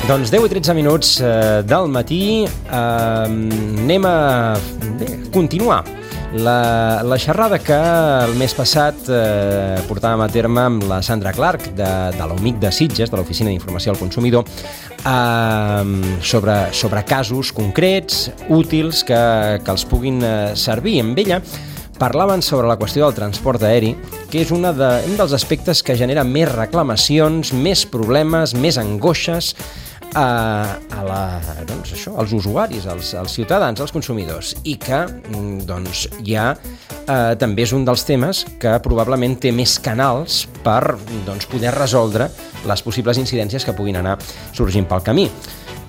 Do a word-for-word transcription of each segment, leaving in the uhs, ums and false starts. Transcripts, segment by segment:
Doncs deu i tretze minuts eh, del matí, eh, anem a bé, continuar la, la xerrada que el mes passat eh, portàvem a terme amb la Sandra Clark de, de l'O M I C de Sitges, de l'Oficina d'Informació al Consumidor, eh, sobre, sobre casos concrets, útils, que, que els puguin eh, servir. Amb ella parlaven sobre la qüestió del transport aeri, que és una de, un dels aspectes que genera més reclamacions, més problemes, més angoixes a, a la, doncs això, als usuaris, als, als ciutadans, als consumidors, i que doncs, ja eh, també és un dels temes que probablement té més canals per doncs, poder resoldre les possibles incidències que puguin anar sorgint pel camí.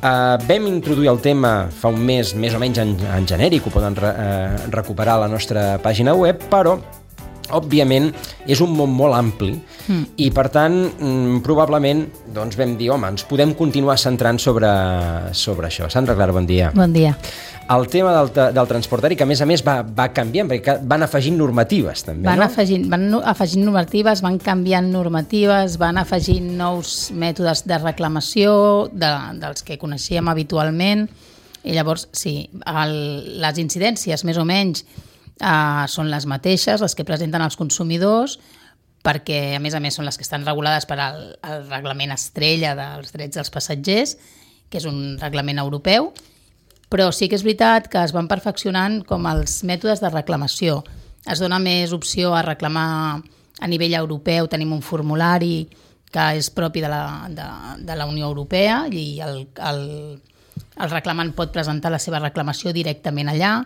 Uh, vam introduir el tema fa un mes, més o menys en, en genèric, ho poden re, uh, recuperar a la nostra pàgina web, però òbviament és un món molt ampli mm. i per tant mm, probablement doncs, vam dir, home, ens podem continuar centrant sobre, sobre això. Sandra Clark, bon dia. Bon dia. El tema del, del transport aeri, que a més a més va, va canviant, perquè van afegint normatives també, van no? Afegint, van afegint normatives, van canviant normatives, van afegint nous mètodes de reclamació de, dels que coneixíem habitualment, i llavors sí, el, les incidències més o menys Uh, són les mateixes, les que presenten els consumidors, perquè a més a més són les que estan regulades per al, el reglament estrella dels drets dels passatgers, que és un reglament europeu, però sí que és veritat que es van perfeccionant com els mètodes de reclamació. Es dona més opció a reclamar a nivell europeu, tenim un formulari que és propi de la, de, de la Unió Europea i el, el, el reclamant pot presentar la seva reclamació directament allà.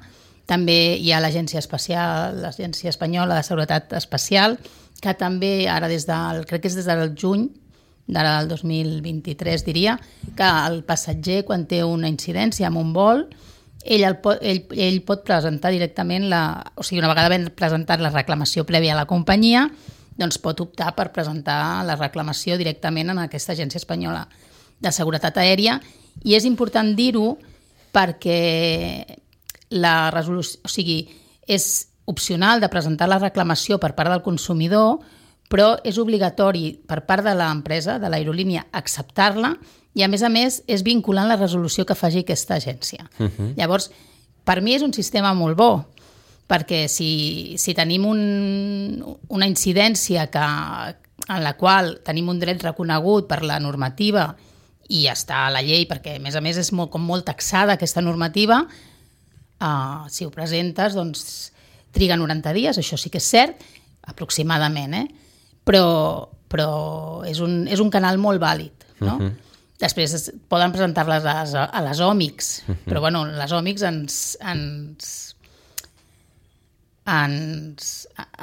També hi ha l'Agència Espacial, l'Agència Espanyola de Seguretat Espacial, que també ara des del, crec que és des del juny d'ara del dos mil vint-i-tres, diria, que el passatger, quan té una incidència amb un vol, ell, el pot, ell, ell pot presentar directament, la, o sigui, una vegada ben presentat la reclamació prèvia a la companyia, doncs pot optar per presentar la reclamació directament en aquesta Agència Espanyola de Seguretat Aèria, i és important dir-ho perquè la resolució, o sigui, és opcional de presentar la reclamació per part del consumidor, però és obligatori per part de l'empresa, de l'aerolínia, acceptar-la, i a més a més és vinculant la resolució que faci aquesta agència. Uh-huh. Llavors, per mi és un sistema molt bo, perquè si, si tenim un, una incidència que, en la qual tenim un dret reconegut per la normativa i està a la llei, perquè a més a més és molt, com molt taxada aquesta normativa, Uh, si ho presentes, doncs triga noranta dies, això sí que és cert, aproximadament, eh? però, però és, un, és un canal molt vàlid, no? Uh-huh. Després es, poden presentar-les a, les, a les O M I Cs, uh-huh. però bueno, les O M I Cs ens, ens, ens,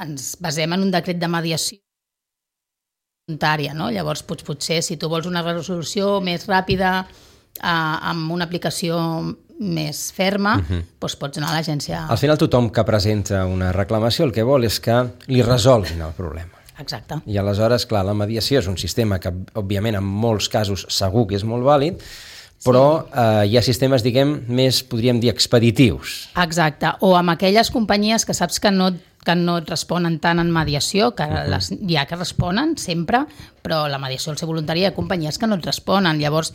ens basem en un decret de mediació voluntària, no? Llavors pot, potser si tu vols una resolució més ràpida uh, amb una aplicació més ferma, uh-huh. doncs pots anar a l'agència. Al final tothom que presenta una reclamació el que vol és que li resolguin el problema. Exacte. I aleshores, clar, la mediació és un sistema que, òbviament, en molts casos segur que és molt vàlid, però sí. eh, hi ha sistemes, diguem, més, podríem dir, expeditius. Exacte. O amb aquelles companyies que saps que no, que no et responen tant en mediació, que uh-huh. les, hi ha que responen sempre, però la mediació al ser voluntària hi ha companyies que no et responen. Llavors,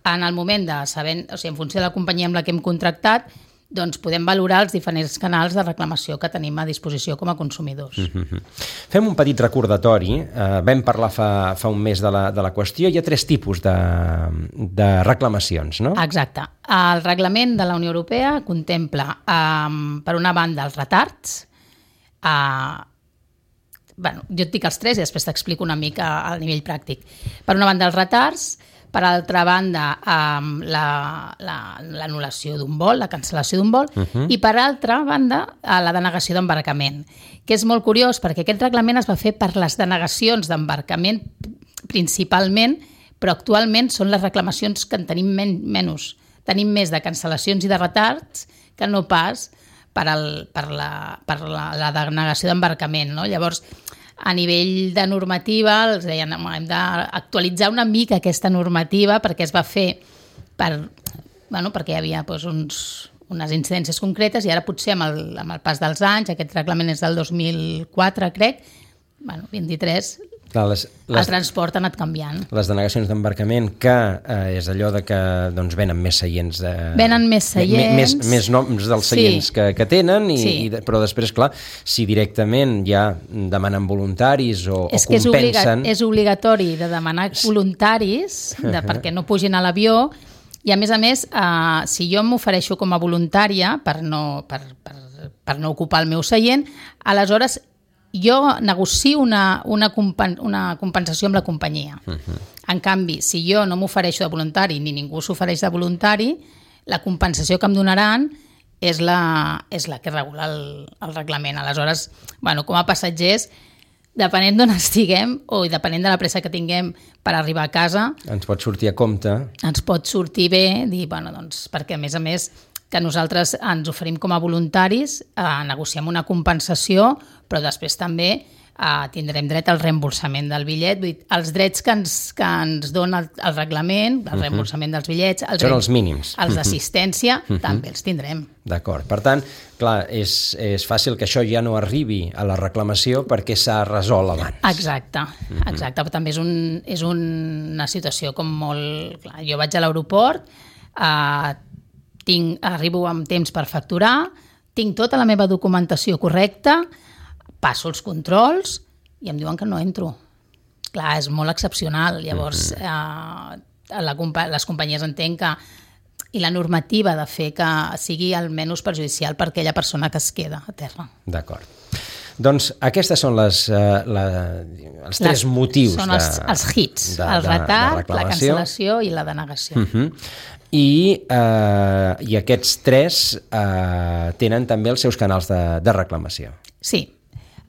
en el moment de saber, o sigui, en funció de la companyia amb la que hem contractat, doncs podem valorar els diferents canals de reclamació que tenim a disposició com a consumidors. Mm-hmm. Fem un petit recordatori. Eh, vam parlar fa, fa un mes de la, de la qüestió. Hi ha tres tipus de, de reclamacions, no? Exacte. El reglament de la Unió Europea contempla, um, per una banda, els retards. Uh, bueno, jo et dic els tres i després t'explico una mica al nivell pràctic. Per una banda, els retards. Per altra banda, um, l'anul·lació la, d'un vol, la cancel·lació d'un vol, uh-huh. i per altra banda, la denegació d'embarcament, que és molt curiós perquè aquest reglament es va fer per les denegacions d'embarcament principalment, però actualment són les reclamacions que en tenim men- menys. Tenim més de cancel·lacions i de retards que no pas per, el, per, la, per la, la denegació d'embarcament, no? Llavors, a nivell de normativa, els deien, hem d'actualitzar una mica aquesta normativa perquè es va fer per, bueno, perquè hi havia doncs, uns, unes incidències concretes i ara potser amb el, amb el pas dels anys, aquest reglament és del dos mil quatre, crec, bueno, vint-i-tres, Clar, les, les, el transport ha anat canviant. Les denegacions d'embarcament, que eh, és allò de que doncs, venen més seients. De, venen més seients. Més, més noms dels seients sí. que, que tenen, i, sí. i, però després, clar, si directament ja demanen voluntaris o, és o compensen... És, obliga és obligatori de demanar voluntaris de, perquè no pugin a l'avió, i a més a més, eh, si jo m'ofereixo com a voluntària per no, per, per, per no ocupar el meu seient, aleshores jo negocio una, una, compen una compensació amb la companyia. Uh-huh. En canvi, si jo no m'ofereixo de voluntari ni ningú s'ofereix de voluntari, la compensació que em donaran és la, és la que regula el, el reglament. Aleshores, bueno, com a passatgers, depenent d'on estiguem o depenent de la pressa que tinguem per arribar a casa... Ens pot sortir a compte. Ens pot sortir bé, dir, bueno, doncs, perquè a més a més que nosaltres ens oferim com a voluntaris, eh, negociem una compensació, però després també eh, tindrem dret al reembolsament del bitllet. Vull dir, els drets que ens, que ens dona el, el reglament, el uh-huh. reembolsament dels bitllets... Els Són els mínims. Els d'assistència, uh-huh. també els tindrem. D'acord. Per tant, clar, és, és fàcil que això ja no arribi a la reclamació perquè s'ha resolt abans. Exacte, uh-huh. exacte. Però també és, un, és una situació com molt... Clar, jo vaig a l'aeroport, eh, tinc, arribo amb temps per facturar, tinc tota la meva documentació correcta, passo els controls i em diuen que no entro. Clar, és molt excepcional. Llavors, eh, la, les companyies entenc que... I la normativa de fer que sigui almenys perjudicial per aquella persona que es queda a terra. D'acord. Doncs aquestes són les, uh, la, els tres les, motius són els, de, els hits, de, el retard, de la cancel·lació i la denegació. Uh-huh. I, uh, I aquests tres uh, tenen també els seus canals de, de reclamació. Sí.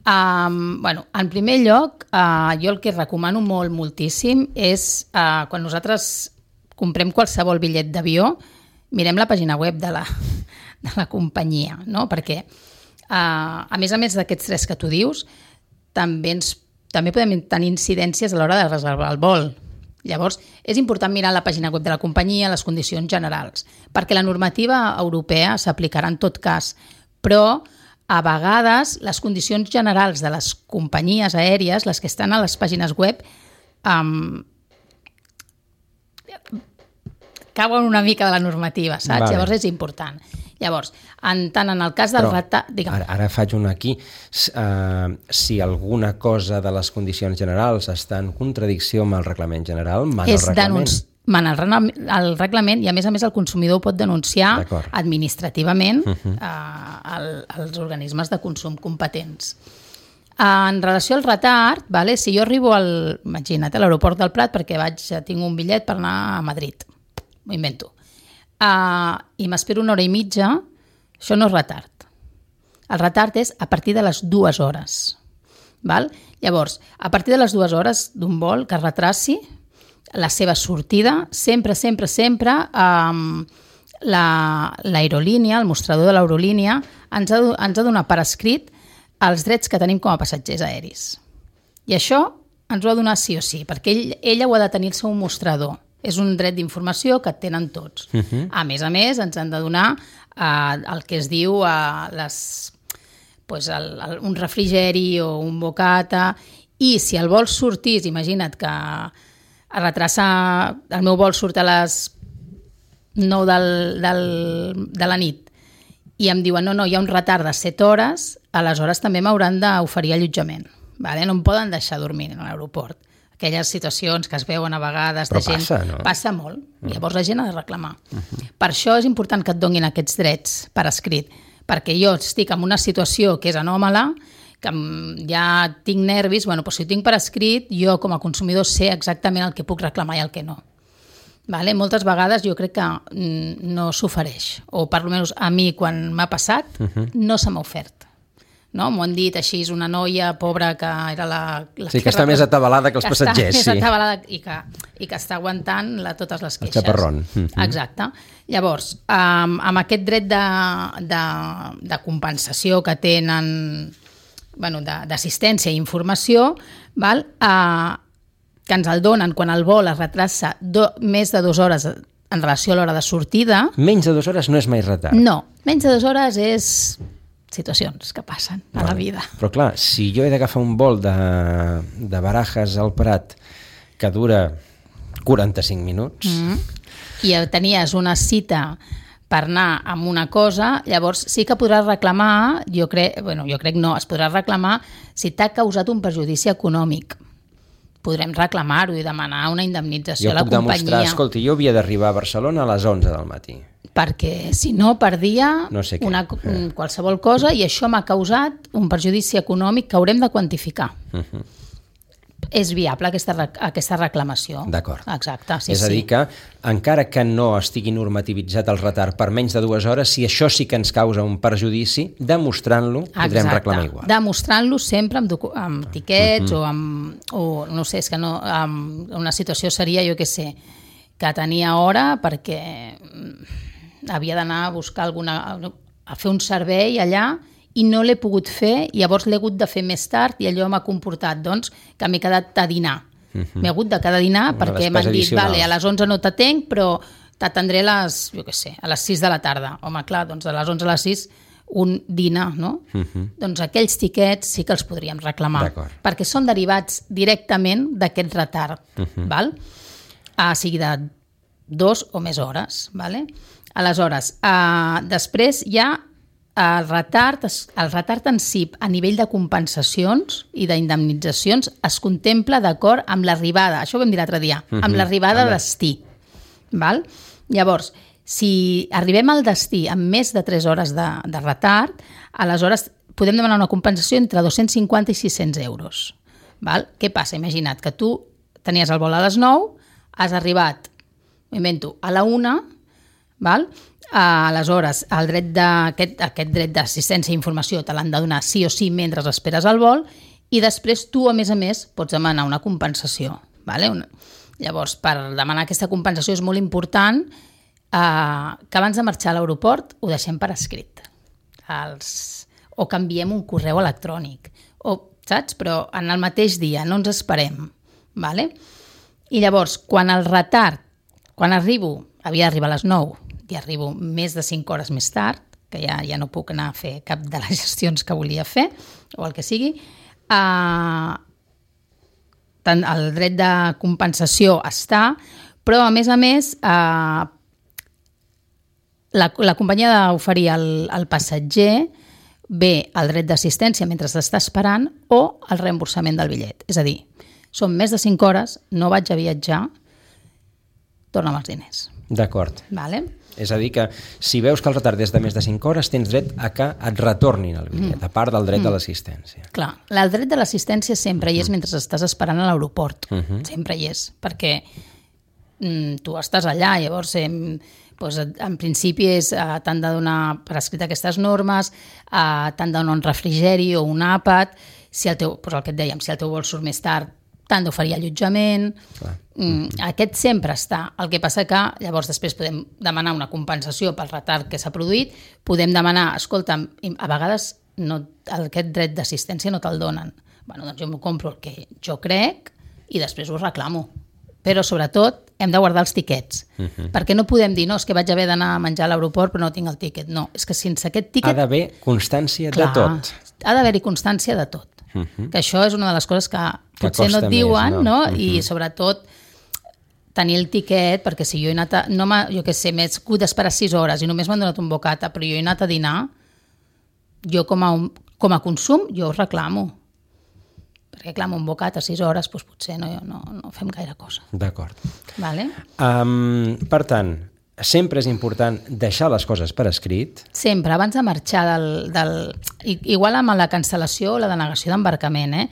Um, bueno, en primer lloc, uh, jo el que recomano molt, moltíssim, és uh, quan nosaltres comprem qualsevol bitllet d'avió, mirem la pàgina web de la, de la companyia, no? Perquè Uh, a més a més d'aquests tres que tu dius, també, ens, també podem tenir incidències a l'hora de reservar el vol. Llavors, és important mirar la pàgina web de la companyia, les condicions generals, perquè la normativa europea s'aplicarà en tot cas, però a vegades les condicions generals de les companyies aèries, les que estan a les pàgines web, um, cauen una mica de la normativa, saps? Vale. Llavors és important. Llavors, en, tant en el cas del retard... Ara, ara faig un aquí. Uh, si alguna cosa de les condicions generals està en contradicció amb el reglament general, mana el reglament. Denunci... Mana el, el reglament, i a més a més el consumidor pot denunciar administrativament uh-huh. uh, el, els organismes de consum competents. En relació al retard, vale, si jo arribo al, imagina't, a l'aeroport del Prat perquè vaig, tinc un bitllet per anar a Madrid, m'ho invento, Uh, i m'espero una hora i mitja, això no és retard. El retard és a partir de les dues hores. Val? Llavors, a partir de les dues hores d'un vol que retraci la seva sortida, sempre, sempre, sempre um, l'aerolínia, el mostrador de l'aerolínia, ens ha, ens ha donat per escrit els drets que tenim com a passatgers aeris. I això ens ho ha donat sí o sí, perquè ell, ella ho ha de tenir el seu mostrador. És un dret d'informació que tenen tots. Uh-huh. A més a més, ens han de donar eh, el que es diu eh, les, pues el, el, un refrigeri o un bocata, i si el vol sortís, imagina't que es retrassa, el meu vol surt a les nou del, del, de la nit i em diuen no, no, hi ha un retard de set hores, aleshores també m'hauran d'oferir allotjament. Vale? No em poden deixar dormir en l'aeroport. Aquelles situacions que es veuen a vegades Però de gent... passa, no? Passa molt. Uh-huh. Llavors la gent ha de reclamar. Uh-huh. Per això és important que et donin aquests drets per escrit, perquè jo estic en una situació que és anòmala, que ja tinc nervis, bueno, doncs si ho tinc per escrit, jo com a consumidor sé exactament el que puc reclamar i el que no. Vale? Moltes vegades jo crec que no s'ofereix, o per almenys a mi quan m'ha passat, uh-huh. no se m'ha ofert. No? M'ho han dit així, és una noia pobra que era la... la sí, que està més atabalada que els passatgers. Està sí. més atabalada i que, i que està aguantant la, totes les queixes. El xaparrón. Mm-hmm. Exacte. Llavors, um, amb aquest dret de, de, de compensació que tenen, bueno, d'assistència i informació, val? Uh, que ens el donen quan el vol es retrassa do, més de dues hores en relació a l'hora de sortida... Menys de dues hores no és mai retard. No, menys de dues hores és... situacions que passen a vale. la vida. Però clar, si jo he d'agafar un vol de, de Barajas al Prat que dura quaranta-cinc minuts... Mm-hmm. I tenies una cita per anar amb una cosa, llavors sí que podràs reclamar, jo crec, bueno, jo crec no, es podrà reclamar si t'ha causat un perjudici econòmic. Podrem reclamar-ho i demanar una indemnització jo a la companyia. Jo puc demostrar, escolti, jo havia d'arribar a Barcelona a les onze del matí. Perquè si no perdia no sé una, qualsevol cosa i això m'ha causat un perjudici econòmic que haurem de quantificar. Uh-huh. És viable aquesta, aquesta reclamació. D'acord. Exacte, sí, és a dir sí. que, encara que no estigui normativitzat el retard per menys de dues hores, si això sí que ens causa un perjudici, demostrant-lo podrem reclamar igual. Demostrant-lo sempre amb, amb tiquets uh-huh. o amb... O, no sé, és que no... Amb una situació seria, jo què sé, que tenia hora perquè havia d'anar a buscar alguna... a fer un servei allà i no l'he pogut fer, i llavors l'he hagut de fer més tard i allò m'ha comportat doncs, que m'he quedat a dinar. Uh-huh. M'he hagut de quedar a dinar Una perquè m'han dit, addicional. Vale, a les onze no t'atenc, però t'atendré a les, jo què sé, a les sis de la tarda. Home, clar, doncs a les onze a les sis un dinar, no? Uh-huh. Doncs aquells tiquets sí que els podríem reclamar, perquè són derivats directament d'aquest retard, uh-huh. val? A sigui de dos o més hores, vale? Aleshores, uh, després hi ha el retard, el retard en si a nivell de compensacions i d'indemnitzacions es contempla d'acord amb l'arribada, això ho vam dir l'altre dia, uh-huh. amb l'arribada a destí. Val? Llavors, si arribem al destí amb més de tres hores de, de retard, aleshores podem demanar una compensació entre dos-cents cinquanta i sis-cents euros. Val? Què passa? Imagina't que tu tenies el vol a les nou, has arribat, m'invento, a la una, val? Uh, aleshores, el dret de, aquest, aquest dret d'assistència i informació te l'han de donar sí o sí mentre esperes el vol, i després tu, a més a més, pots demanar una compensació. Vale? Una... Llavors, per demanar aquesta compensació és molt important uh, que abans de marxar a l'aeroport ho deixem per escrit. Els... O canviem un correu electrònic. O, saps? Però en el mateix dia, no ens esperem. Vale? I llavors, quan el retard, quan arribo, havia d'arribar a les nou, i arribo més de cinc hores més tard, que ja, ja no puc anar a fer cap de les gestions que volia fer, o el que sigui, eh, tant el dret de compensació està, però a més a més eh, la, la companyia ha d'oferir al, al passatger bé el dret d'assistència mentre s'està esperant o el reemborsament del bitllet. És a dir, són més de cinc hores, no vaig a viatjar, torna'm els diners. D'acord. Vale? És a dir que si veus que el retard és de més de cinc hores, tens dret a que et retornin el bitllet, mm. a part del dret mm. de l'assistència. Clar, el dret de l'assistència sempre hi és mentre estàs esperant a l'aeroport. Mm-hmm. Sempre hi és, perquè mm, tu estàs allà, llavors eh, doncs, en principi és, eh, t'han de donar per escrit aquestes normes, eh, t'han de donar un refrigeri o un àpat, si el teu, doncs el que et dèiem, si el teu vol surt més tard, t'han d'oferir allotjament. Mm, aquest sempre està. El que passa que llavors després podem demanar una compensació pel retard que s'ha produït, podem demanar, escolta, a vegades no, aquest dret d'assistència no te'l donen. Bueno, doncs jo m'ho compro el que jo crec i després ho reclamo. Però sobretot hem de guardar els tiquets, uh-huh. perquè no podem dir, no, és que vaig haver d'anar a menjar a l'aeroport però no tinc el tiquet. No, és que sense aquest tiquet... Ha d'haver constància clar, de tot. Ha d'haver-hi constància de tot. Uh-huh. Que això és una de les coses que, que potser no et diuen, més, no? no? Uh-huh. I sobretot tenir el tiquet, perquè si jo he anat a, no jo què sé, m'he hagut d'esperar sis hores i només m'han donat un bocata, però jo he anat a dinar, jo com a, un, com a consum, jo ho reclamo. Perquè clar, amb un bocata a sis hores, doncs potser no, no, no fem gaire cosa. D'acord. Vale? Um, per tant, sempre és important deixar les coses per escrit. Sempre, abans de marxar del... del igual amb la cancel·lació o la denegació d'embarcament, eh?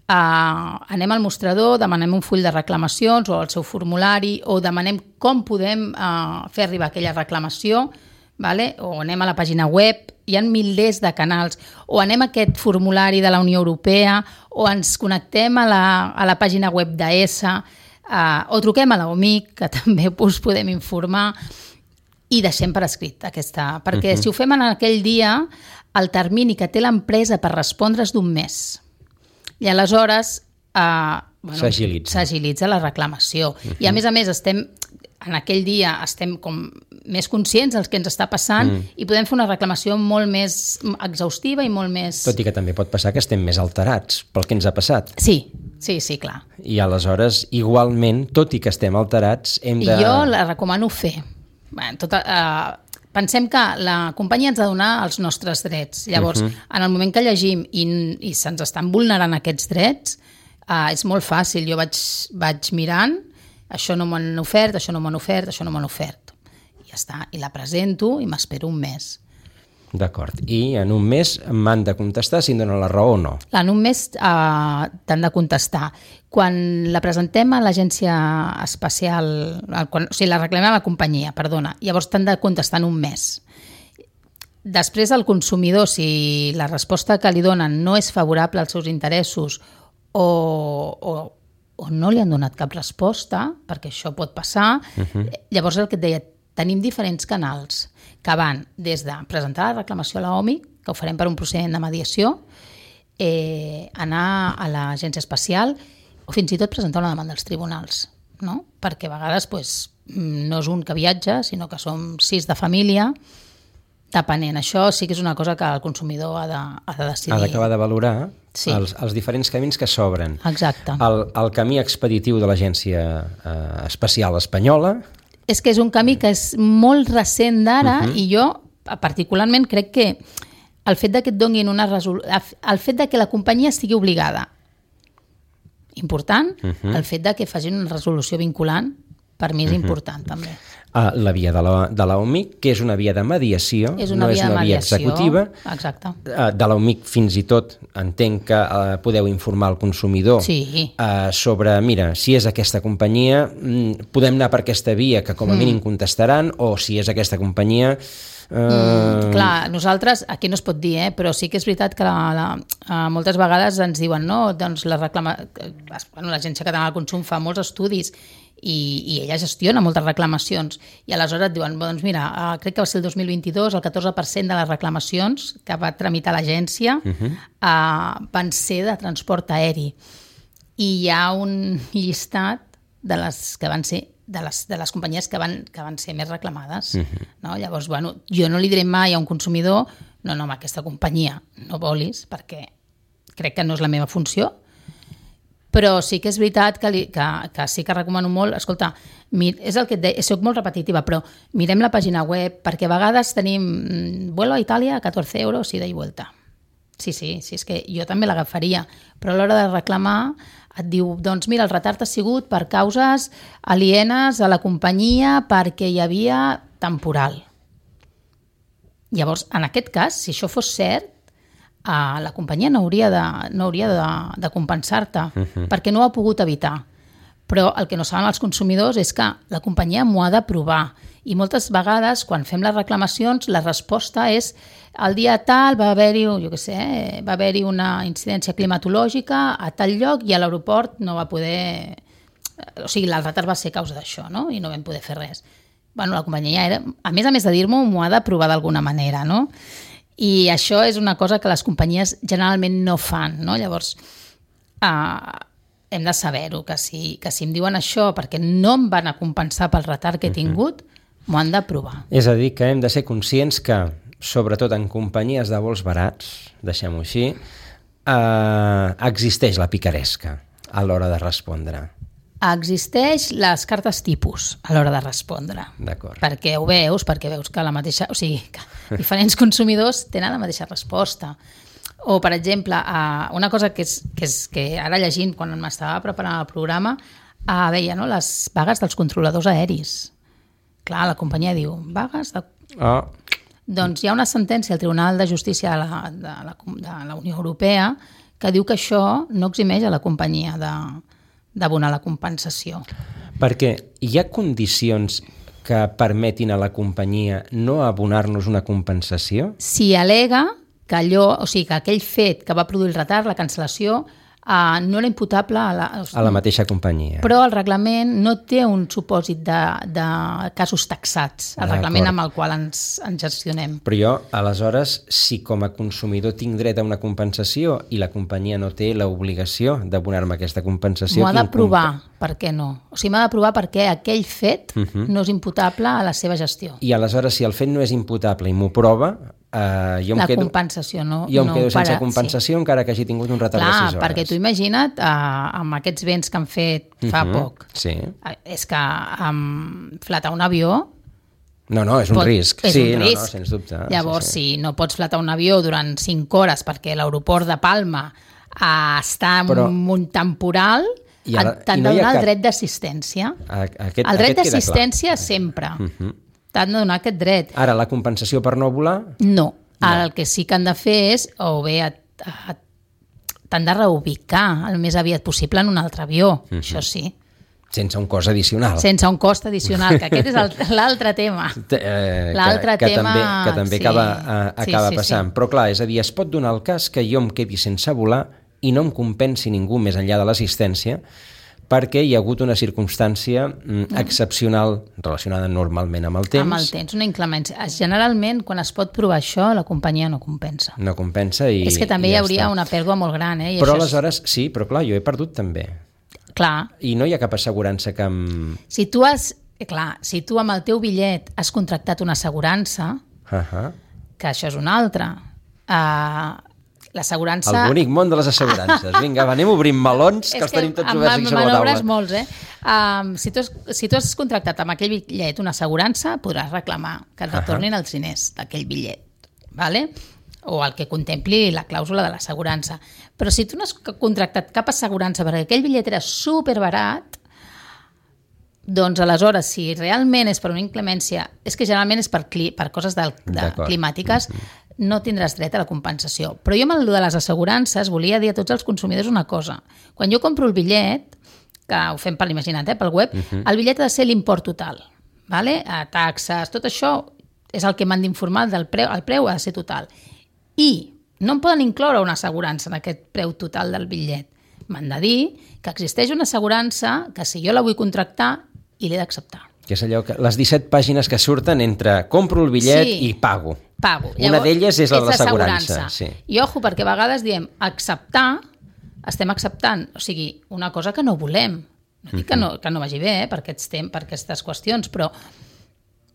Uh, anem al mostrador, demanem un full de reclamacions o el seu formulari, o demanem com podem uh, fer arribar aquella reclamació, vale? O anem a la pàgina web, hi ha milers de canals, o anem a aquest formulari de la Unió Europea, o ens connectem a la, a la pàgina web d'A S A, Uh, o truquem a l'O M I C, que també us podem informar, i deixem per escrit aquesta, perquè uh-huh. si ho fem en aquell dia, el termini que té l'empresa per respondre és d'un mes. I aleshores uh, bueno, s'agilitza. s'agilitza la reclamació. Uh-huh. I a més a més estem, en aquell dia estem com més conscients dels que ens està passant mm. i podem fer una reclamació molt més exhaustiva i molt més... Tot i que també pot passar que estem més alterats pel que ens ha passat. Sí, sí, sí, clar. I aleshores, igualment, tot i que estem alterats, hem de... Jo la recomano fer. Bé, tota, uh, pensem que la companyia ens ha de donar els nostres drets. Llavors, uh-huh. en el moment que llegim i, i se'ns estan vulnerant aquests drets, uh, és molt fàcil. Jo vaig, vaig mirant, això no m'han ofert, això no m'han ofert, això no m'han ofert. I ja està, i la presento i m'espero un mes. D'acord. I en un mes m'han de contestar si em donen la raó o no. En un mes uh, t'han de contestar. Quan la presentem a l'agència espacial, quan, o sigui, la reclamem a la companyia, perdona, llavors t'han de contestar en un mes. Després el consumidor, si la resposta que li donen no és favorable als seus interessos o, o o no li han donat cap resposta, perquè això pot passar, uh-huh. llavors el que et deia, tenim diferents canals que van des de presentar la reclamació a l'O M I, que ho farem per un procediment de mediació, eh, anar a l'agència espacial o fins i tot presentar una demanda als tribunals, no? Perquè a vegades pues, no és un que viatja, sinó que som sis de família, depenent. Això sí que és una cosa que el consumidor ha de, ha de decidir. Ha d'acabar de valorar sí. els, els diferents camins que s'obren. Exacte. El, el camí expeditiu de l'Agència eh, Espacial Espanyola... És que és un camí que és molt recent d'ara uh-huh. i jo particularment crec que el fet de que et donin una resolució... El fet de que la companyia estigui obligada, important, uh-huh. el fet de que facin una resolució vinculant, per mi és uh-huh. important també. Uh, la via de la, de l'O M I, que és una via de mediació, és una no via és una de via mediació, executiva. Exacte. Uh, de l'O M I fins i tot entenc que uh, podeu informar el consumidor sí. uh, sobre, mira, si és aquesta companyia, mm, podem anar per aquesta via que com a mm. mínim contestaran, o si és aquesta companyia... Uh... Mm, clar, nosaltres, aquí no es pot dir, eh, però sí que és veritat que la, la, uh, moltes vegades ens diuen, no, doncs la reclama... bueno, l'Agència Catalana del Consum fa molts estudis i, i ella gestiona moltes reclamacions i aleshores et diuen, doncs mira, uh, crec que va ser el dos mil vint-i-dos, el catorze per cent de les reclamacions que va tramitar l'agència uh-huh. uh, van ser de transport aeri i hi ha un llistat de les que van ser de les, de les companyies que van, que van ser més reclamades. Uh-huh. No? Llavors, bueno, jo no li diré mai a un consumidor no, no, amb aquesta companyia no volis, perquè crec que no és la meva funció, però sí que és veritat que, li, que, que sí que recomano molt, escolta, mir, és el que et deia, soc molt repetitiva, però mirem la pàgina web, perquè a vegades tenim vuelo a Itàlia a catorze euros ida i vuelta. Sí, sí, sí, és que jo també l'agafaria, però a l'hora de reclamar et diu, doncs mira, el retard ha sigut per causes alienes a la companyia perquè hi havia temporal. Llavors, en aquest cas, si això fos cert, Uh, la companyia no hauria de, no hauria de, de compensar-te uh-huh. perquè no ho ha pogut evitar. Però el que no saben els consumidors és que la companyia m'ho ha de provar i moltes vegades quan fem les reclamacions la resposta és el dia tal va haver-hi, jo què sé, va haver-hi una incidència climatològica a tal lloc i a l'aeroport no va poder... O sigui, el retard va ser causa d'això, no? I no vam poder fer res. Bueno, la companyia era... A més a més de dir-m'ho, m'ho ha de provar d'alguna manera, no? I això és una cosa que les companyies generalment no fan, no? Llavors, uh, hem de saber-ho, que si, que si em diuen això perquè no em van a compensar pel retard que he tingut, uh-huh. m'ho han de provar. És a dir, que hem de ser conscients que, sobretot en companyies de vols barats, deixem-ho així, uh, existeix la picaresca a l'hora de respondre. Existeix les cartes tipus a l'hora de respondre. D'acord. Perquè ho veus, perquè veus que la mateixa... O sigui, que diferents consumidors tenen la mateixa resposta. O, per exemple, una cosa que, és, que, és, que ara llegint, quan m'estava preparant el programa, veia, no, les vagues dels controladors aeris. Clar, la companyia diu, vagues de... Oh. Doncs hi ha una sentència al Tribunal de Justícia de la, de la, de la Unió Europea que diu que això no eximeix a la companyia de... d'abonar la compensació. Perquè hi ha condicions que permetin a la companyia no abonar-nos una compensació? Si al·lega que allò, o sigui, que aquell fet que va produir el retard, la cancel·lació, uh, no era imputable a la... A la mateixa companyia. Però el reglament no té un supòsit de, de casos taxats, el reglament amb el qual ens, ens gestionem. Però jo, aleshores, si com a consumidor tinc dret a una compensació i la companyia no té l'obligació d'abonar-me aquesta compensació... M'ho ha de provar, per què no? O sigui, m'ha de provar perquè aquell fet uh -huh. no és imputable a la seva gestió. I aleshores, si el fet no és imputable i m'ho prova... Uh, jo em la quedo, compensació no jo em no quedo sense para, compensació sí. encara que hagi tingut un retard Clar, de sis hores. perquè tu imagina't uh, amb aquests vents que han fet fa uh -huh. poc sí. uh, és que um, flatar un avió no, no, és un pot, risc és sí, un no, risc. No, sens dubte Llavors, sí, sí. si no pots flatar un avió durant cinc hores perquè l'aeroport de Palma uh, està en Però... un temporal ara, t'han de donar cap... el dret d'assistència aquest, el dret aquest d'assistència sempre uh -huh. t'han de donar aquest dret. Ara, la compensació per no volar? No. No. El que sí que han de fer és, o bé, t'han de reubicar el més aviat possible en un altre avió, uh -huh. això sí. Sense un cost addicional. Sense un cost addicional, que aquest és l'altre tema. Eh, l'altre que, que tema... També, que també sí. acaba, uh, acaba sí, sí, passant. Sí. Però clar, és a dir, es pot donar el cas que jo em quedi sense volar i no em compensi ningú més enllà de l'assistència perquè hi ha hagut una circumstància mm, excepcional relacionada normalment amb el temps. Amb el temps, una inclemència. Generalment, quan es pot provar això, la companyia no compensa. No compensa i És que també i hi ja hauria està. una pèrdua molt gran. Eh? I però això aleshores, és... sí, però clar, jo he perdut també. Clar. I no hi ha cap assegurança que em... Si tu has... Clar, si tu amb el teu bitllet has contractat una assegurança, uh -huh. que això és una altra... Uh, l'assegurança... El bonic món de les assegurances. Vinga, va, anem obrint melons, que els tenim tots oberts aquí sobre la taula. molts, eh? Um, si, tu has, si tu has contractat amb aquell bitllet una assegurança, podràs reclamar que et retornin uh -huh. els diners d'aquell bitllet, ¿vale? O el que contempli la clàusula de l'assegurança. Però si tu no has contractat cap assegurança perquè aquell bitllet era superbarat, doncs aleshores, si realment és per una inclemència, és que generalment és per, cli, per coses de, de climàtiques, no tindràs dret a la compensació. Però jo amb el de les assegurances volia dir a tots els consumidors una cosa. Quan jo compro el bitllet, que ho fem per l'imaginat, eh, pel web, uh-huh. el bitllet ha de ser l'import total. ¿Vale? A taxes, tot això és el que m'han d'informar del preu, el preu ha de ser total. I no em poden incloure una assegurança en aquest preu total del bitllet. M'han de dir que existeix una assegurança que si jo la vull contractar i l'he d'acceptar. Que és allò que les disset pàgines que surten entre compro el bitllet sí, i pago. Pago. Una d'elles és la de l'assegurança. Sí. I ojo, perquè a vegades diem acceptar, estem acceptant, o sigui, una cosa que no volem. No dic que no, que no vagi bé eh, per, aquests temps, per aquestes qüestions, però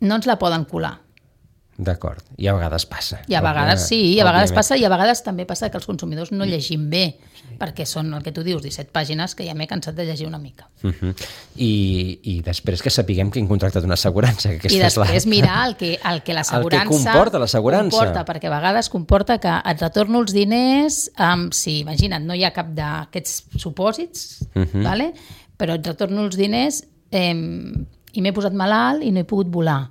no ens la poden colar. D'acord, i a vegades passa. I a vegades sí, i a vegades passa, i a vegades també passa que els consumidors no llegim bé, sí. perquè són el que tu dius, disset pàgines, que ja m'he cansat de llegir una mica. Uh-huh. I, I després que sapiguem que hem contractat una assegurança. Que I després la... mirar el que, el que l'assegurança... El que comporta l'assegurança. Comporta, perquè a vegades comporta que et retorno els diners, um, si, imagina't, no hi ha cap d'aquests supòsits, uh-huh. vale? Però et retorno els diners eh, i m'he posat malalt i no he pogut volar.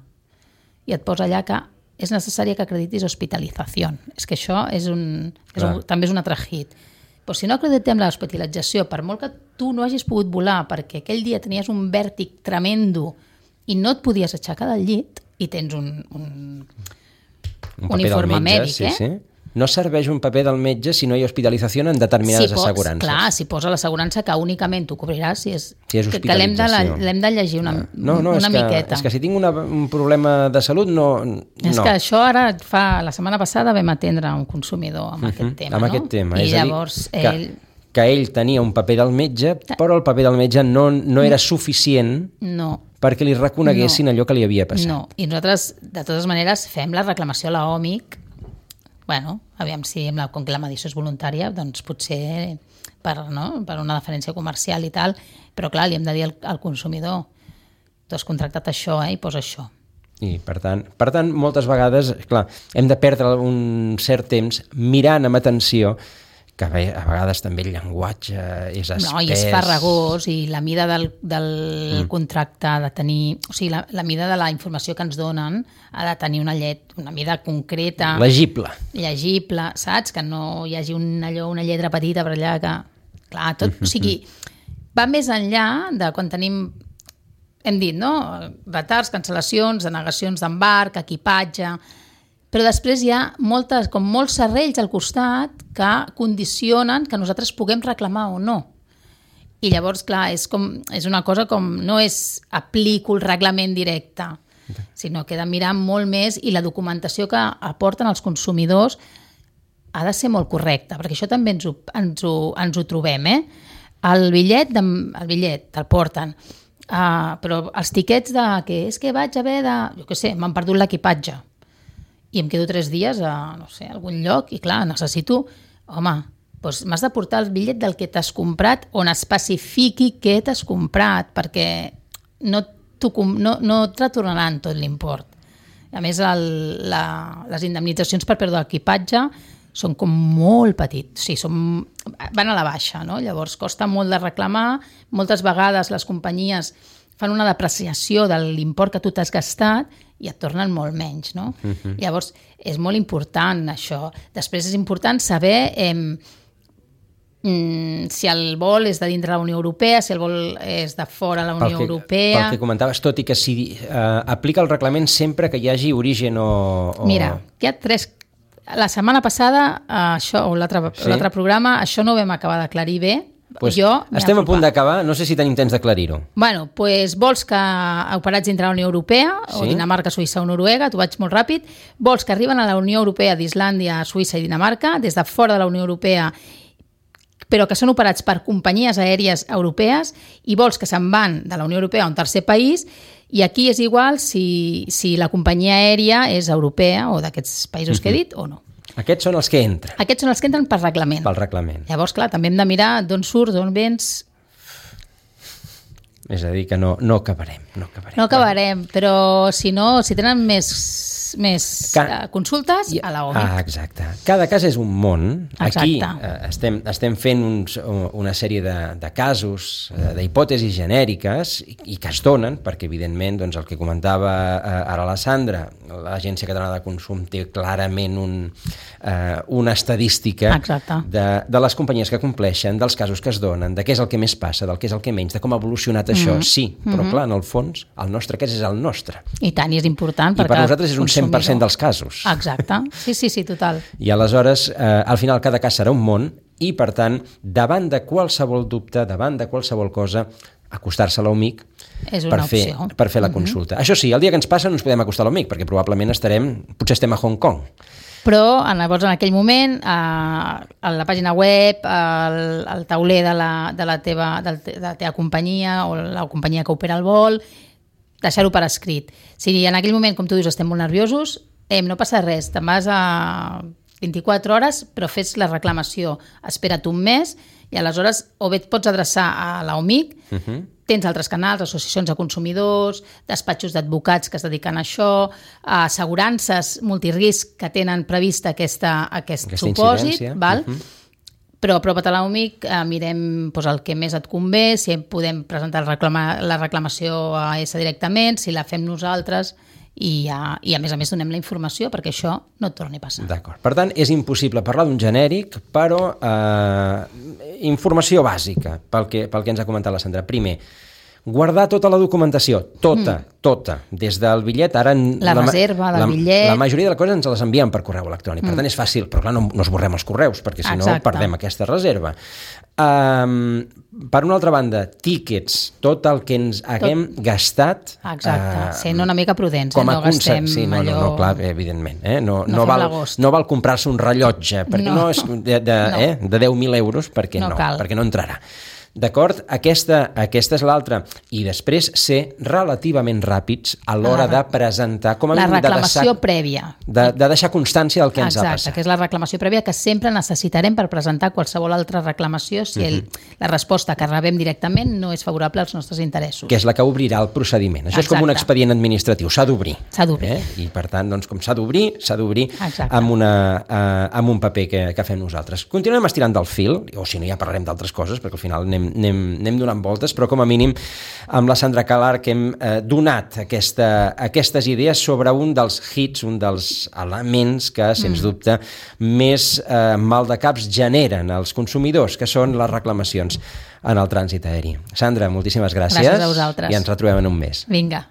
I et posa allà que és necessari que acreditis hospitalització. És que això és un, és un, també és un altre hit. Però si no acreditem l'hospitalització, per molt que tu no hagis pogut volar perquè aquell dia tenies un vèrtic tremendo i no et podies aixecar del llit i tens un, un, un, un informe metge, mèdic, sí, eh? Sí. No serveix un paper del metge si no hi ha hospitalització en determinades si pots, assegurances. Clar, si posa l'assegurança que únicament t'ho cobrirà si és, si és que, que l'hem de, l'hem de llegir una, no, no, una és que, miqueta. És que si tinc una, un problema de salut, no... no. És que això ara fa... La setmana passada vam atendre un consumidor amb uh-huh, aquest tema, amb no? aquest tema. I és llavors a dir, ell... Que, que ell tenia un paper del metge, però el paper del metge no, no era suficient no. perquè li reconeguessin no. allò que li havia passat. No, i nosaltres, de totes maneres, fem la reclamació a l'O M I C. Bueno, aviam si amb la, com que la mediació és voluntària, doncs potser per, no? per una deferència comercial i tal, però clar, li hem de dir al, al consumidor tu has contractat això eh, i posa això. I per tant, per tant, moltes vegades, clar, hem de perdre un cert temps mirant amb atenció que a vegades també el llenguatge és espès. No, i és farragós, i la mida del, del mm. contracte ha de tenir... O sigui, la, la mida de la informació que ens donen ha de tenir una llet, una mida concreta... Legible. Llegible, saps? Que no hi hagi un, allò, una lletra petita per allà que... Clar, tot... Mm-hmm. O sigui, va més enllà de quan tenim... Hem dit, no? Retards, cancel·lacions, denegacions d'embarc, equipatge... Però després hi ha moltes, com molts serrells al costat que condicionen que nosaltres puguem reclamar o no. I llavors, clar, és, com, és una cosa com no és aplico el reglament directe, sinó que he de mirar molt més i la documentació que aporten els consumidors ha de ser molt correcta, perquè això també ens ho, ens ho, ens ho trobem. Eh? El bitllet, de, el bitllet te'l porten, uh, però els tiquets de que és que vaig haver de... Jo què sé, m'han perdut l'equipatge i em quedo tres dies a, no sé, a algun lloc i clar, necessito... Home, doncs m'has de portar el bitllet del que t'has comprat on especifiqui què t'has comprat, perquè no, no, no et retornaran tot l'import. A més, el, la, les indemnitzacions per pèrdua d'equipatge són com molt petits, o sigui, són, van a la baixa, no? Llavors costa molt de reclamar, moltes vegades les companyies fan una depreciació de l'import que tu t'has gastat i et tornen molt menys, no? Uh-huh. Llavors és molt important això. Després és important saber eh, mm, si el vol és de dintre la Unió Europea, si el vol és de fora la Unió pel que, Europea... Pel que comentaves, tot i que si eh, aplica el reglament sempre que hi hagi origen o... o... Mira, hi ha tres... La setmana passada, això, o l'altre sí. l'altre programa, això no ho vam acabar d'aclarir bé. Pues jo estem a punt d'acabar, no sé si tenim temps d'aclarir-ho. Bueno, pues vols que operats dintre la Unió Europea, sí. o Dinamarca, Suïssa o Noruega, t'ho vaig molt ràpid, vols que arriben a la Unió Europea d'Islàndia, Suïssa i Dinamarca, des de fora de la Unió Europea, però que són operats per companyies aèries europees, i vols que se'n van de la Unió Europea a un tercer país, i aquí és igual si, si la companyia aèria és europea o d'aquests països uh-huh. que he dit o no. Aquests són els que entren. Aquests són els que entren per reglament. Pel reglament. Llavors, clar, també hem de mirar d'on surts, d'on vens... És a dir, que no, no acabarem. No acabarem, no acabarem però si no, si tenen més, més Ca... consultes, a la O M I C. Ah, exacte. Cada cas és un món. Exacte. Aquí eh, estem, estem fent uns, una sèrie de, de casos, eh, d'hipòtesis genèriques i, i que es donen, perquè evidentment doncs, el que comentava eh, ara la Sandra, l'Agència Catalana de Consum té clarament un, eh, una estadística de, de les companyies que compleixen, dels casos que es donen, de què és el que més passa, del què és el que menys, de com ha evolucionat això. Mm-hmm. Sí, però clar, en el fons, el nostre cas és el nostre. I tant, i és important. I per nosaltres és un cent per cent dels casos. Exacte, sí, sí, sí, total. I aleshores, eh, al final, cada cas serà un món i, per tant, davant de qualsevol dubte, davant de qualsevol cosa, acostar-se a l'O M I C per fer, per fer la consulta. Mm-hmm. Això sí, el dia que ens passa no ens podem acostar a l'O M I C, perquè probablement estarem, potser estem a Hong Kong. Però llavors en aquell moment a, a la pàgina web, al, al tauler de la, de, la teva, de la teva companyia o la companyia que opera el vol, deixar-ho per escrit. Si en aquell moment, com tu dius, estem molt nerviosos, eh, no passa res, te'n vas a vint-i-quatre hores, però fes la reclamació, espera't un mes i aleshores o bé et pots adreçar a la O M I C, uh-huh. Tens altres canals, associacions de consumidors, despatxos d'advocats que es dediquen a això, assegurances multirisc que tenen prevista aquesta, aquest aquesta supòsit, val? Uh-huh. Però apropa't a l'O M I C, eh, mirem doncs, el que més et convé, si podem presentar el reclama, la reclamació a E S A directament, si la fem nosaltres, i a, i a més a més donem la informació perquè això no et torni a passar. D'acord. Per tant, és impossible parlar d'un genèric, però eh, informació bàsica pel que, pel que ens ha comentat la Sandra. Primer, guardar tota la documentació, tota, mm. tota, des del bitllet. Ara la, la reserva del la, bitllet. La majoria de les coses ens les envien per correu electrònic, per mm. tant és fàcil, però clar, no, no esborrem els correus, perquè si no perdem aquesta reserva. Um, per una altra banda, tíquets, tot el que ens haguem tot... gastat... Exacte, uh, sent una mica prudents, eh? No gastem sí, no, allò... No, no, clar, evidentment, eh? no, no, no, val, no val comprar-se un rellotge, perquè no, no és de, de, no. Eh? de deu mil euros, perquè no, no perquè no entrarà. D'acord? Aquesta, aquesta és l'altra. I després ser relativament ràpids a l'hora de presentar... Com a la reclamació de deixar, prèvia. De, de deixar constància del que ens Exacte, ha passat. Exacte, que és la reclamació prèvia que sempre necessitarem per presentar qualsevol altra reclamació si el, uh-huh. la resposta que rebem directament no és favorable als nostres interessos. Que és la que obrirà el procediment. Això Exacte. És com un expedient administratiu, s'ha d'obrir. S'ha d'obrir. Eh? I per tant, doncs, com s'ha d'obrir, s'ha d'obrir amb, una, uh, amb un paper que, que fem nosaltres. Continuem estirant del fil, o si no ja parlarem d'altres coses, perquè al final anem, anem, anem donant voltes, però com a mínim amb la Sandra Calar que hem eh, donat aquesta, aquestes idees sobre un dels hits, un dels elements que, sens mm. dubte, més eh, maldecaps generen els consumidors, que són les reclamacions en el trànsit aeri. Sandra, moltíssimes gràcies. Gràcies a vosaltres. I ens retrobem en un mes. Vinga.